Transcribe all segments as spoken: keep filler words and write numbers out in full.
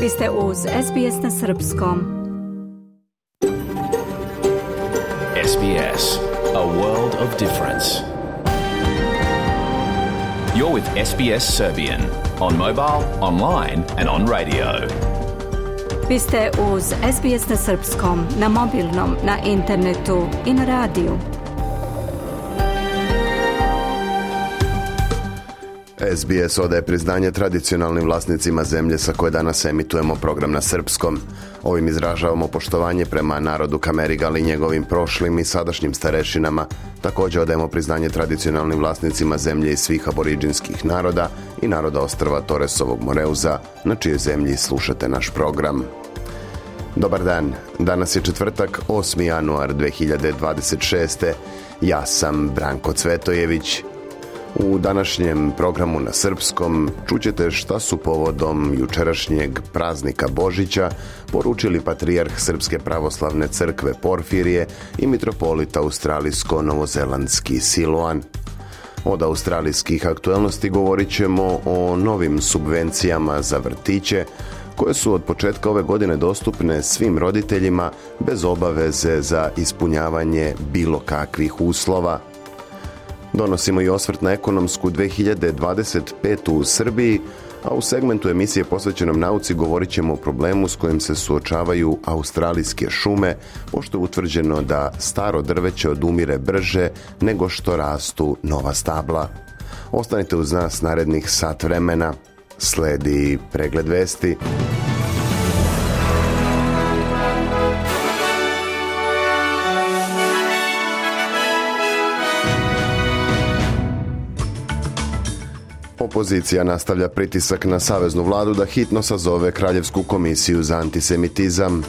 Vi ste uz S B S na srpskom. S B S, a world of difference. You're with S B S Serbian on mobile, online and on radio. Vi ste uz S B S na srpskom, na mobilnom, na internetu i na radiju. S B S odaje priznanje tradicionalnim vlasnicima zemlje sa koje danas emitujemo program na srpskom. Ovim izražavamo poštovanje prema narodu Kamerigal i njegovim prošlim i sadašnjim starešinama. Također odajemo priznanje tradicionalnim vlasnicima zemlje i svih aboriđinskih naroda i naroda ostrva Toresovog Moreuza, na čijoj zemlji slušate naš program. Dobar dan, danas je četvrtak, osmi januar dve hiljade dvadeset šeste. Ja sam Branko Cvetojević. U današnjem programu na srpskom čućete šta su povodom jučerašnjeg praznika Božića poručili patrijarh Srpske pravoslavne crkve Porfirije i mitropolita australijsko-novozelandski Siloan. Od australijskih aktualnosti govorit ćemo o novim subvencijama za vrtiće, koje su od početka ove godine dostupne svim roditeljima bez obaveze za ispunjavanje bilo kakvih uslova. Donosimo i osvrt na ekonomsku dve hiljade dvadeset petu u Srbiji, a u segmentu emisije posvećenom nauci govorit ćemo o problemu s kojim se suočavaju australijske šume, pošto je utvrđeno da staro drveće odumire brže nego što rastu nova stabla. Ostanite uz nas narednih sat vremena. Sledi pregled vesti. Opozicija nastavlja pritisak na saveznu vladu da hitno sazove Kraljevsku komisiju za antisemitizam.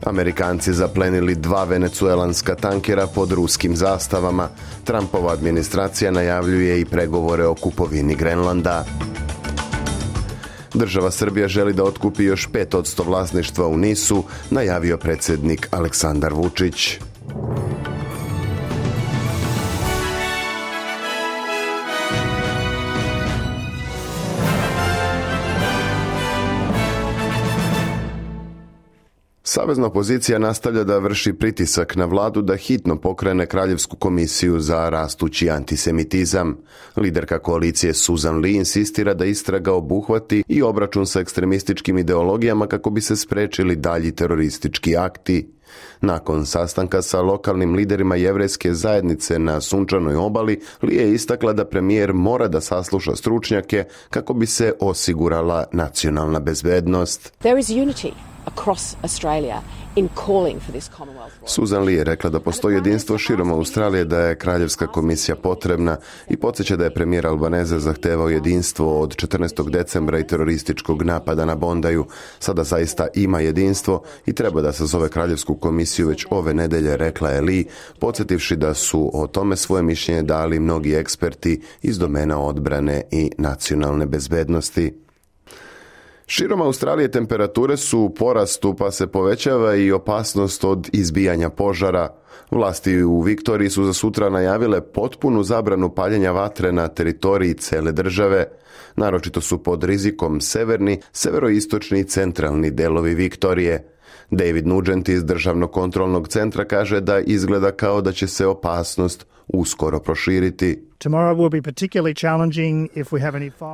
Amerikanci zaplenili dva venecuelanska tankera pod ruskim zastavama. Trumpova administracija najavljuje i pregovore o kupovini Grenlanda. Država Srbija želi da otkupi još pet posto vlasništva u Nisu, najavio predsjednik Aleksandar Vučić. Savezna opozicija nastavlja da vrši pritisak na vladu da hitno pokrene Kraljevsku komisiju za rastući antisemitizam. Liderka koalicije Susan Lee insistira da istraga obuhvati i obračun sa ekstremističkim ideologijama kako bi se sprečili dalji teroristički akti. Nakon sastanka sa lokalnim liderima jevrejske zajednice na Sunčanoj obali, Lee je istakla da premijer mora da sasluša stručnjake kako bi se osigurala nacionalna bezbednost. There is unity across Australia in calling for this Commonwealth. Susan Lee je rekla da postoji jedinstvo širom Australije, da je Kraljevska komisija potrebna i podsjeća da je premijer Albanese zahtevao jedinstvo od četrnaestog decembra i terorističkog napada na Bondaju. Sada zaista ima jedinstvo i treba da sazove Kraljevsku komisiju već ove nedelje, rekla je Lee, podsjetivši da su o tome svoje mišljenje dali mnogi eksperti iz domena odbrane i nacionalne bezbednosti. Širom Australije temperature su u porastu, pa se povećava i opasnost od izbijanja požara. Vlasti u Viktoriji su za sutra najavile potpunu zabranu paljenja vatre na teritoriji cele države. Naročito su pod rizikom severni, severoistočni i centralni delovi Viktorije. David Nugent iz Državnog kontrolnog centra kaže da izgleda kao da će se opasnost uskoro proširiti.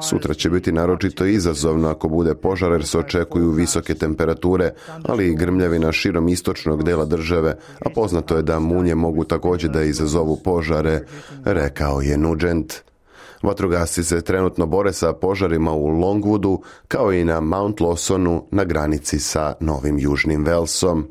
Sutra će biti naročito izazovno ako bude požar jer se očekuju visoke temperature, ali i grmljavina širom istočnog dela države, a poznato je da munje mogu također da izazovu požare, rekao je Nugent. Vatrogasci se trenutno bore sa požarima u Longwoodu kao i na Mount Lawsonu na granici sa Novim Južnim Walesom.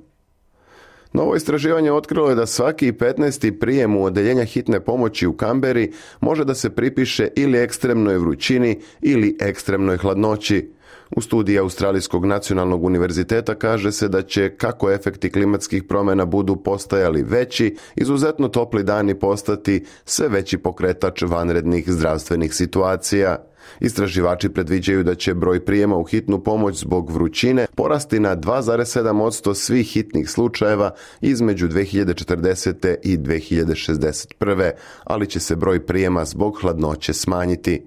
Novo istraživanje otkrilo je da svaki petnaesti prijem u odeljenja hitne pomoći u Kamberi može da se pripiše ili ekstremnoj vrućini ili ekstremnoj hladnoći. U studiji Australijskog nacionalnog univerziteta kaže se da će, kako efekti klimatskih promjena budu postajali veći, izuzetno topli dani postati sve veći pokretač vanrednih zdravstvenih situacija. Istraživači predviđaju da će broj prijema u hitnu pomoć zbog vrućine porasti na dva zarez sedam posto svih hitnih slučajeva između dve hiljade četrdesete i dve hiljade šezdeset prve, ali će se broj prijema zbog hladnoće smanjiti.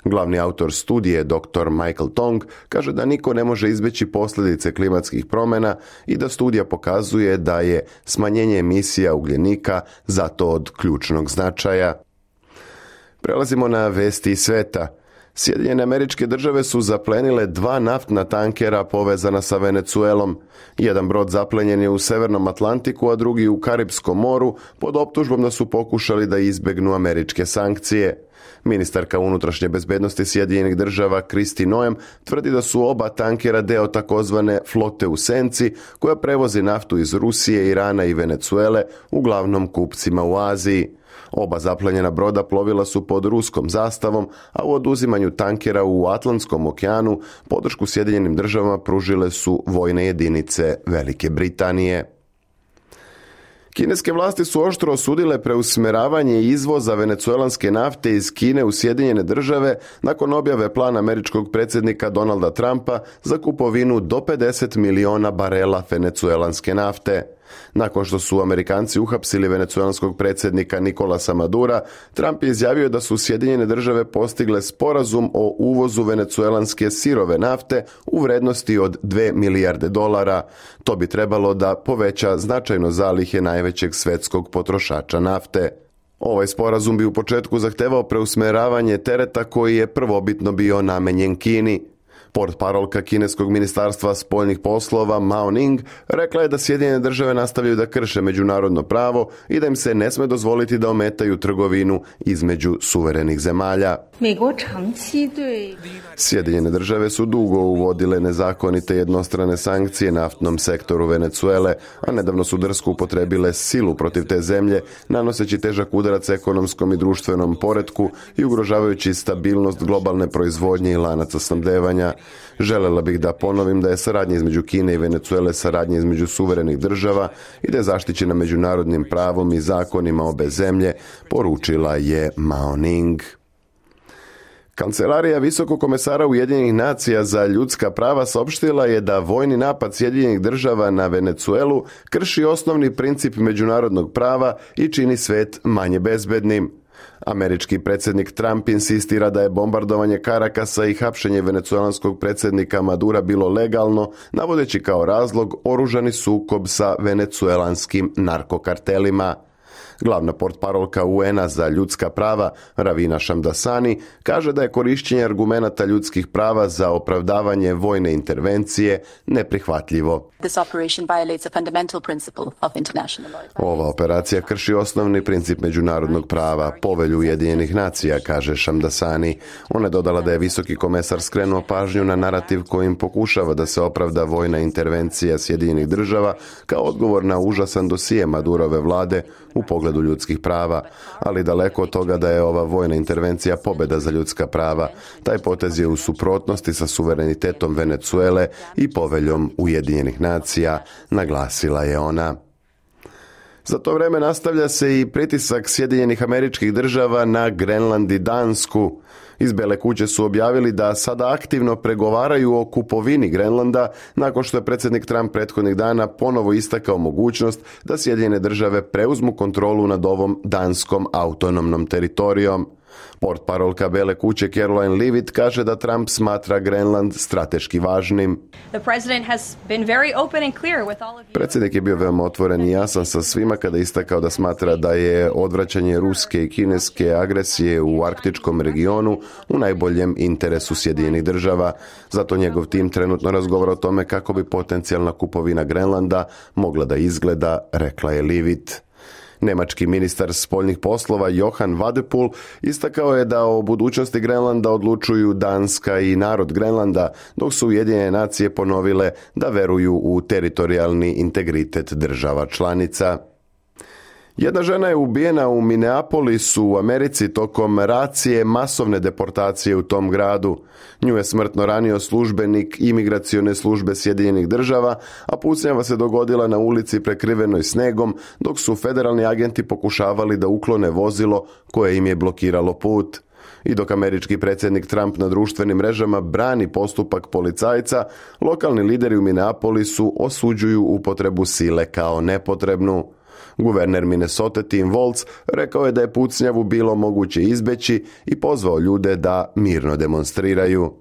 Glavni autor studije, doktor Michael Tong, kaže da niko ne može izbjeći posljedice klimatskih promjena i da studija pokazuje da je smanjenje emisija ugljenika zato od ključnog značaja. Prelazimo na vesti iz sveta. Sjedinjene Američke Države su zaplenile dva naftna tankera povezana sa Venecuelom. Jedan brod zaplenjen je u Severnom Atlantiku, a drugi u Karipskom moru pod optužbom da su pokušali da izbjegnu američke sankcije. Ministarka unutrašnje bezbednosti Sjedinjenih Država Kristi Noem tvrdi da su oba tankera deo takozvane flote u senci koja prevozi naftu iz Rusije, Irana i Venecuele, uglavnom kupcima u Aziji. Oba zaplenjena broda plovila su pod ruskom zastavom, a u oduzimanju tankera u Atlantskom okeanu podršku Sjedinjenim Državama pružile su vojne jedinice Velike Britanije. Kineske vlasti su oštro osudile preusmjeravanje izvoza venecuelanske nafte iz Kine u Sjedinjene Države nakon objave plana američkog predsjednika Donalda Trumpa za kupovinu do pedeset miliona barela venecuelanske nafte. Nakon što su Amerikanci uhapsili venecuelanskog predsjednika Nicolasa Madura, Trump je izjavio da su Sjedinjene Države postigle sporazum o uvozu venecuelanske sirove nafte u vrednosti od dvije milijarde dolara. To bi trebalo da poveća značajno zalihe najvećeg svetskog potrošača nafte. Ovaj sporazum bi u početku zahtevao preusmjeravanje tereta koji je prvobitno bio namenjen Kini. Portparolka kineskog ministarstva spoljnih poslova Mao Ning rekla je da Sjedinjene Države nastavljaju da krše međunarodno pravo i da im se ne sme dozvoliti da ometaju trgovinu između suverenih zemalja. Sjedinjene Države su dugo uvodile nezakonite jednostrane sankcije naftnom sektoru Venecuele, a nedavno su drsko upotrebile silu protiv te zemlje, nanoseći težak udarac ekonomskom i društvenom poretku i ugrožavajući stabilnost globalne proizvodnje i lanaca snabdevanja. Želela bih da ponovim da je saradnja između Kine i Venecuele saradnja između suverenih država i da je zaštićena međunarodnim pravom i zakonima obe zemlje, poručila je Mao Ning. Kancelarija Visokog komesara Ujedinjenih nacija za ljudska prava saopštila je da vojni napad Sjedinjenih Država na Venecuelu krši osnovni princip međunarodnog prava i čini svet manje bezbednim. Američki predsjednik Trump insistira da je bombardovanje Karakasa i hapšenje venecuelanskog predsjednika Madura bilo legalno, navodeći kao razlog oružani sukob sa venecuelanskim narkokartelima. Glavna portparolka U N-a za ljudska prava, Ravina Shamdasani, kaže da je korišćenje argumenata ljudskih prava za opravdavanje vojne intervencije neprihvatljivo. Ova operacija krši osnovni princip međunarodnog prava, povelju Ujedinjenih nacija, kaže Shamdasani. Ona je dodala da je visoki komesar skrenuo pažnju na narativ kojim pokušava da se opravda vojna intervencija Sjedinjenih Država kao odgovor na užasan dosije Madurove vlade u pogledu ljudskih prava, ali daleko od toga da je ova vojna intervencija pobjeda za ljudska prava. Taj potez je u suprotnosti sa suverenitetom Venecuele i poveljom Ujedinjenih nacija, naglasila je ona. Za to vrijeme nastavlja se i pritisak Sjedinjenih Američkih Država na Grenland i Dansku. Iz Bele kuće su objavili da sada aktivno pregovaraju o kupovini Grenlanda nakon što je predsjednik Trump prethodnih dana ponovo istakao mogućnost da Sjedinjene Države preuzmu kontrolu nad ovom danskom autonomnom teritorijom. Portparolka Bele kuće Caroline Leavitt kaže da Trump smatra Grenland strateški važnim. Predsjednik je bio veoma otvoren i jasan sa svima kada istakao da smatra da je odvraćanje ruske i kineske agresije u arktičkom regionu u najboljem interesu Sjedinjenih Država. Zato njegov tim trenutno razgovara o tome kako bi potencijalna kupovina Grenlanda mogla da izgleda, rekla je Leavitt. Nemački ministar spoljnih poslova Johan Wadephul istakao je da o budućnosti Grenlanda odlučuju Danska i narod Grenlanda, dok su Ujedinjene nacije ponovile da veruju u teritorijalni integritet država članica. Jedna žena je ubijena u Minneapolisu u Americi tokom racije masovne deportacije u tom gradu. Nju je smrtno ranio službenik imigracione službe Sjedinjenih Država, a pucnjava se dogodila na ulici prekrivenoj snegom, dok su federalni agenti pokušavali da uklone vozilo koje im je blokiralo put. I dok američki predsjednik Trump na društvenim mrežama brani postupak policajca, lokalni lideri u Minneapolisu osuđuju upotrebu sile kao nepotrebnu. Guverner Minnesota Tim Walz rekao je da je pucnjavu bilo moguće izbeći i pozvao ljude da mirno demonstriraju.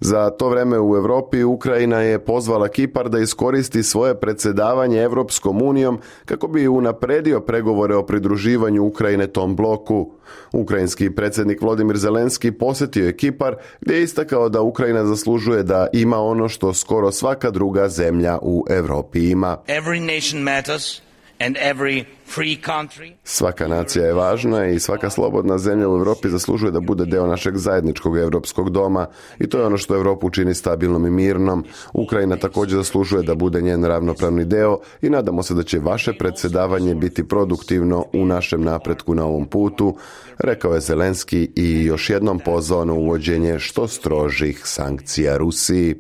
Za to vreme u Europi Ukrajina je pozvala Kipar da iskoristi svoje predsjedavanje Europskom unijom kako bi unapredio pregovore o pridruživanju Ukrajine tom bloku. Ukrajinski predsjednik Volodymyr Zelenski posjetio je Kipar gdje je istakao da Ukrajina zaslužuje da ima ono što skoro svaka druga zemlja u Europi ima. Every nation matters. And every free country. Svaka nacija je važna i svaka slobodna zemlja u Europi zaslužuje da bude deo našeg zajedničkog europskog doma i to je ono što Europu čini stabilnom i mirnom. Ukrajina također zaslužuje da bude njen ravnopravni deo i nadamo se da će vaše predsjedavanje biti produktivno u našem napretku na ovom putu, rekao je Zelenski i još jednom pozvao na uvođenje što strožih sankcija Rusiji.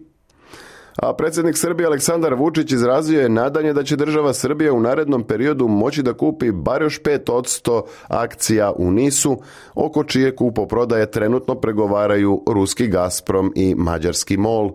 A predsjednik Srbije Aleksandar Vučić izrazio je nadanje da će država Srbija u narednom periodu moći da kupi bar još pet posto akcija u Nisu, oko čije kupoprodaje trenutno pregovaraju ruski Gazprom i mađarski MOL.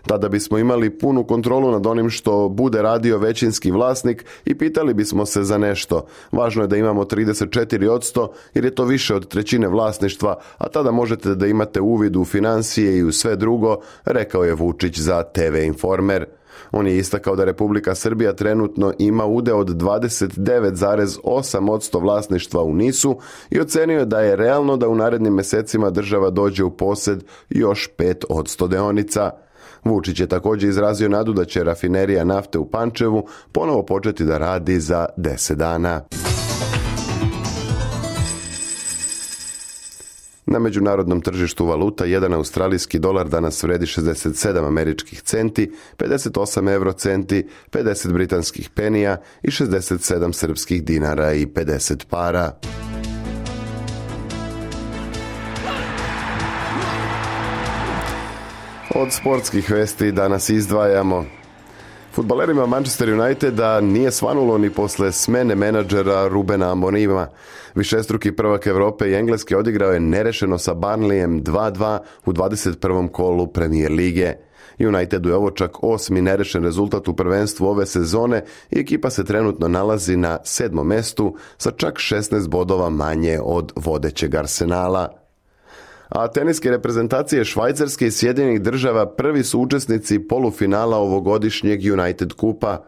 Tada bismo imali punu kontrolu nad onim što bude radio većinski vlasnik i pitali bismo se za nešto. Važno je da imamo trideset četiri posto jer je to više od trećine vlasništva, a tada možete da imate uvid u financije i u sve drugo, rekao je Vučić za te ve Informer. On je istakao da Republika Srbija trenutno ima udeo od dvadeset devet zarez osam posto vlasništva u Nisu i ocenio je da je realno da u narednim mjesecima država dođe u posjed još pet posto deonica. Vučić je također izrazio nadu da će rafinerija nafte u Pančevu ponovo početi da radi za deset dana. Na međunarodnom tržištu valuta jedan australijski dolar danas vredi šezdeset sedam američkih centi, pedeset osam eurocenti, pedeset britanskih penija i šezdeset sedam srpskih dinara i pedeset para. Od sportskih vesti danas izdvajamo. Fudbalerima Manchester Uniteda nije svanulo ni posle smene menadžera Rubena Amonima. Višestruki prvak Europe i Engleske odigrao je nerešeno sa Burnleyem dva dva u dvadeset prvom kolu Premier lige. Unitedu je ovo čak osmi nerešen rezultat u prvenstvu ove sezone i ekipa se trenutno nalazi na sedmom mestu sa čak šesnaest bodova manje od vodećeg Arsenala. A teniske reprezentacije Švajcarske i Sjedinjenih Država prvi su učesnici polufinala ovogodišnjeg United Kupa.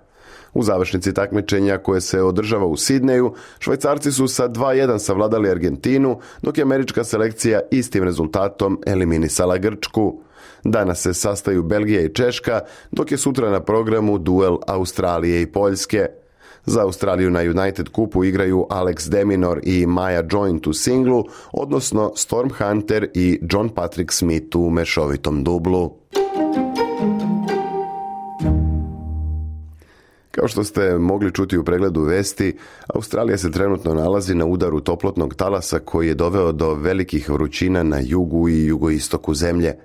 U završnici takmičenja koje se održava u Sidneju, Švajcarci su sa dva jedan savladali Argentinu, dok je američka selekcija istim rezultatom eliminisala Grčku. Danas se sastaju Belgija i Češka, dok je sutra na programu duel Australije i Poljske. Za Australiju na United Kupu igraju Alex de Minaur i Maja Joint u singlu, odnosno Storm Hunter i John Patrick Smith u mešovitom dublu. Kao što ste mogli čuti u pregledu vesti, Australija se trenutno nalazi na udaru toplotnog talasa koji je doveo do velikih vrućina na jugu i jugoistoku zemlje.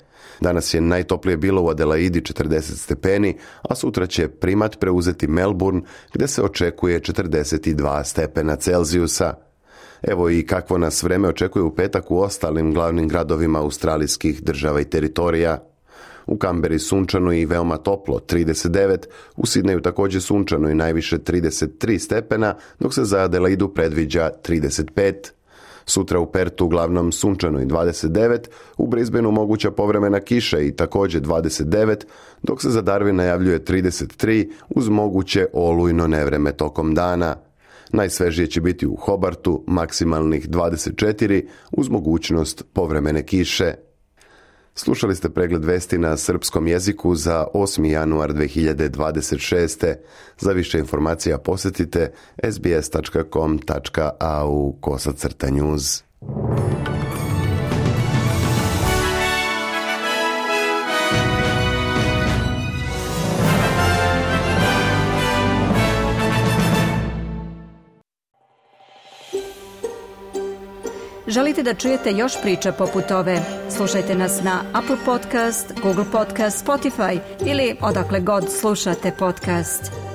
Danas je najtoplije bilo u Adelaidi četrdeset stepeni, a sutra će primat preuzeti Melbourne gdje se očekuje četrdeset dva stepena Celzijusa. Evo i kakvo nas vreme očekuje u petak u ostalim glavnim gradovima australijskih država i teritorija. U Kamberi sunčano i veoma toplo, trideset devet, u Sidneju također sunčano i najviše trideset tri stepena, dok se za Adelaidu predviđa trideset pet. Sutra u Pertu uglavnom sunčano i dvadeset devet, u Brisbaneu moguća povremena kiša i također dvadeset devet, dok se za Darwin najavljuje trideset tri uz moguće olujno nevreme tokom dana. Najsvežije će biti u Hobartu, maksimalnih dvadeset četiri uz mogućnost povremene kiše. Slušali ste pregled vesti na srpskom jeziku za osmi januar dve hiljade dvadeset šeste. Za više informacija posjetite es be es tačka com tačka a u kosacrta news. Želite da čujete još priča poput ove? Slušajte nas na Apple Podcast, Google Podcast, Spotify ili odakle god slušate podcast.